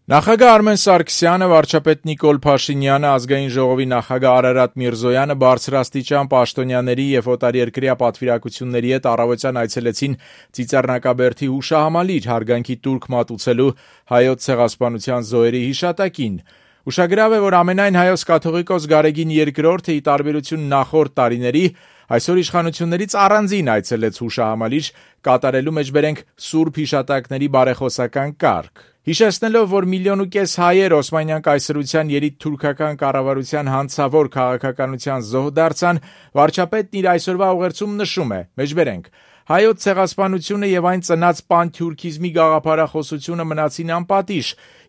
Նախագահ Արմեն Սարգսյանը, վարչապետ Նիկոլ Փաշինյանը, ազգային ժողովի նախագահ Արարատ Միրզոյանը բարձրաստիճան պաշտոնյաների եւ օտարերկրյա պատվիրակությունների հետ առավոտյան այցելեցին Ծիծեռնակաբերդի հուշահամալիր հարգանքի տուրք մատուցելու հայոց ցեղասպանության զոհերի հիշատակին։ Ուշագրավ է, որ ամենայն հայոց կաթողիկոս Գարեգին II-ը ի տարբերություն նախորդ տարիների այսօր իշխանություններից առանձին այցելեց հուշահամալիր, կատարելու մեջբերենք սուրբ հիշատակների բարեխոսական կարգ։ Հիշեցնելով, որ 1,5 միլիոն հայեր Օսմանյան կայսրության երիտթուրքական կառավարության հանցավոր քաղաքականության զոհ դարձան, վարչապետն իր այսօրվա ուղերձում նշում է. մեջբերենք, հայոց ցեղասպանությունը եւ այն ծնած պանթյուրքիզմի գաղափարախոսությունը մնացին անպատիժ,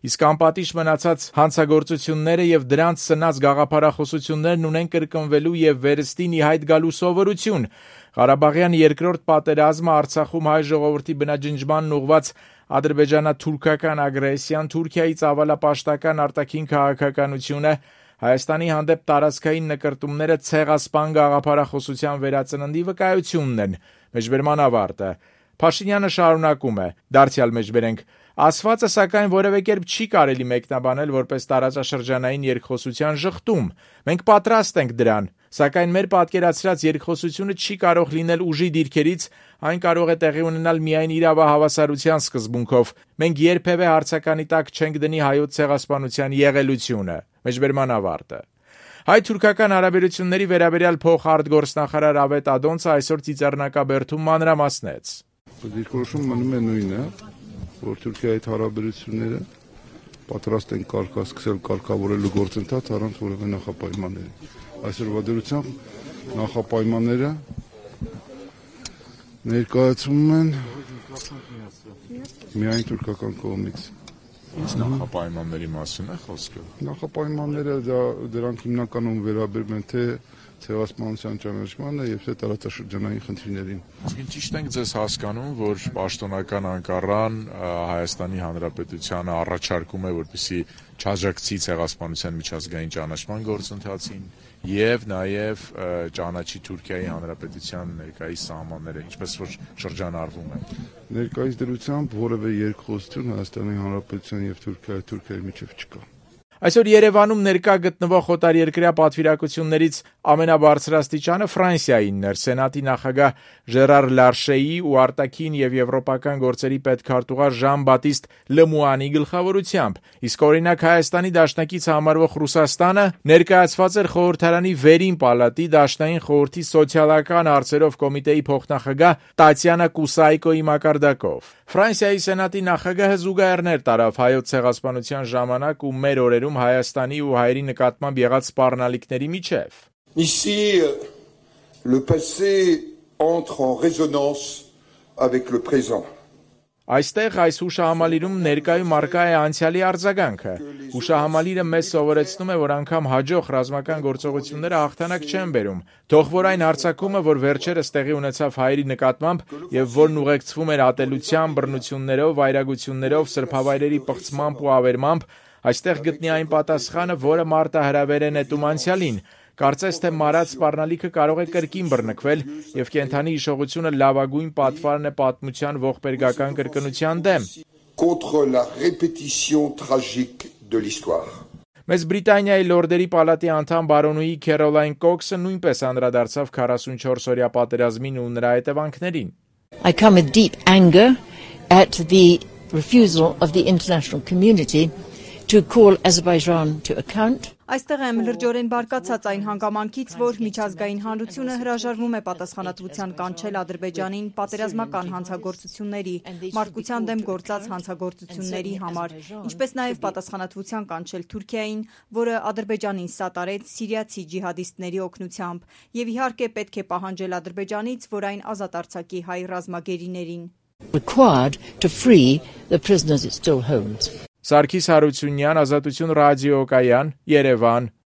իսկ անպատիժ մնացած հանցագործությունները եւ դրանց ծնած գաղափարախոսություններն ունեն կրկնվելու եւ վերստին ի հայտ գալու սովորություն։ Ղարաբաղյան երկրորդ պատերազմը, Արցախում հայ ժողովրդի բնաջնջմանն ուղված ադրբեջանա-թուրքական ագրեսիան, Թուրքիայի ծավալապաշտական արտաքին քաղաքականությունը, Հայաստանի հանդեպ տարածքային նկրտումները ցեղասպան գաղափարախոսության վերածննդի վկայությունն են։ Մեջբերման ավարտը։ Փաշինյանը շարունակում է. դարձյալ մեջբերենք, ասվածը սակայն որևէ կերպ չի կարելի մեկնաբանել որպես տարածաշրջանային երկխոսության ժխտում։ Մենք պատրաստ ենք դրան, սակայն մեր պատկերացրած երկխոսությունը չի կարող լինել ուժի դիրքերից, այն կարող է տեղի ունենալ միայն իրավահավասարության սկզբունքով։ Մենք երբևէ հարցականի տակ չենք դնի հայոց ցեղասպանության եղելությունը։ Մեջբերման ավարտը։ Հայ-թուրքական հարաբերությունների վերաբերյալ փոխարտգործնախարար Ավետ Ադոնցը այսօր Ծիծեռնակաբերդում մանրամասնեց. Դիրքորոշումը մնում է նույնը, որ Թուրքիայի հետ հարաբերությունները պատրաստ են սկսել կարգավորելու գործընթաց առանց որևէ նախապայմանների։ Այսօրվա դրությամբ նախապայմանները ներկայացվում են միայն թուրքական կողմից։ Ինչ նախապայմանների մասին է խոսքը։ Նախապայմանները դրանք հիմնականում վերաբերում են թե ցեղասպանության ճանաչմանը եւ թե տարածաշրջանային խնդիրներին։ Իսկ ճիշտ ենք ձեզ հասկանում, որ պաշտոնական Անկարան Հայաստանի Հանրապետությանը առաջարկում է, որպեսզի չաջակցի ցեղասպանության միջազգային ճանաչման գործընթացին եւ նաեւ ճանաչի Թուրքիայի Հանրապետության ներկայիս սահմանները, ինչպես որ շրջանառվում է։ Ներկայիս դրությամբ որևէ երկխոսություն Հայաստանի Հանրապետության եւ Թուրքիայի միջեւ չկա։ Այսօր Երևանում ներկա գտնվող օտարերկրյա պատվիրակություններից ամենաբարձրաստիճանը Ֆրանսիայինն էր։ Սենատի նախագահ Ժերար Լարշեի ու արտաքին եւ եվրոպական գործերի պետքարտուղար Ժան-Բատիստ Լեմուանի գլխավորությամբ, իսկ օրինակ Հայաստանի դաշնակից համարվող Ռուսաստանը ներկայացված էր խորհրդարանի վերին պալատի դաշնային խորհրդի սոցիալական հարցերով կոմիտեի փոխնախագահ Տատյանա Կուսայկոյի մակարդակով։ Ֆրանսիայի Սենատի նախագահը զուգահեռներ տարավ հայոց ցեղասպանության ժամանակ ու մեր օրերում Հայաստանի ու հայերի նկատմամբ եղած սպառնալիքների միջև։ Ici, le passé entre en résonance avec le présent. Այստեղ այս հուշահամալիրում ներկայում առկա է անցյալի արձագանքը։ Հուշահամալիրը մեզ սովորեցնում է, որ անգամ հաջող ռազմական գործողությունները հաղթանակ չեն բերում։ Թող որ այն հարձակումը, որ վերջերս տեղի ունեցավ հայերի նկատմամբ եւ որն ուղեկցվում էր ատելությամբ, բռնություններով, վայրագություններով, սրբավայրերի պղծմամբ ու ավերմամբ, այստեղ գտնի այն պատասխանը, որը մարտահրավեր է նետում անցյալին։ Կարծես թե մարած սպառնալիքը կարող է կրկին բռնկվել եւ կենթանի հիշողությունը լավագույն պատվարն է պատմության ողբերգական կրկնության դեմ։ Contre la répétition tragique de l'histoire. Մեծ Բրիտանիայի Լորդերի պալատի անդամ բարոնուհի Քերոլայն Կոքսը նույնպես անդրադարձավ 44-օրյա պատերազմին ու նրա հետևանքներին։ I come with deep anger at the refusal of the international community to call Azerbaijan to account. Այստեղ եմ լրջորեն բարկացած այն հանգամանքից, որ միջազգային հանրությունը հրաժարվում է պատասխանատվության կանչել Ադրբեջանին պատերազմական հանցագործությունների, մարդկության դեմ գործած հանցագործությունների համար, ինչպես նաև պատասխանատվության կանչել Թուրքիային, որը Ադրբեջանին սատարեց սիրիացի ջիհադիստների օգնությամբ, եւ իհարկե պետք է պահանջել Ադրբեջանից, որ այն ազատ արձակի հայ ռազմագերիներին։ Required to free the prisoners it still holds. Սարգիս Հարությունյան, Ազատություն ռադիոկայան, Երևան։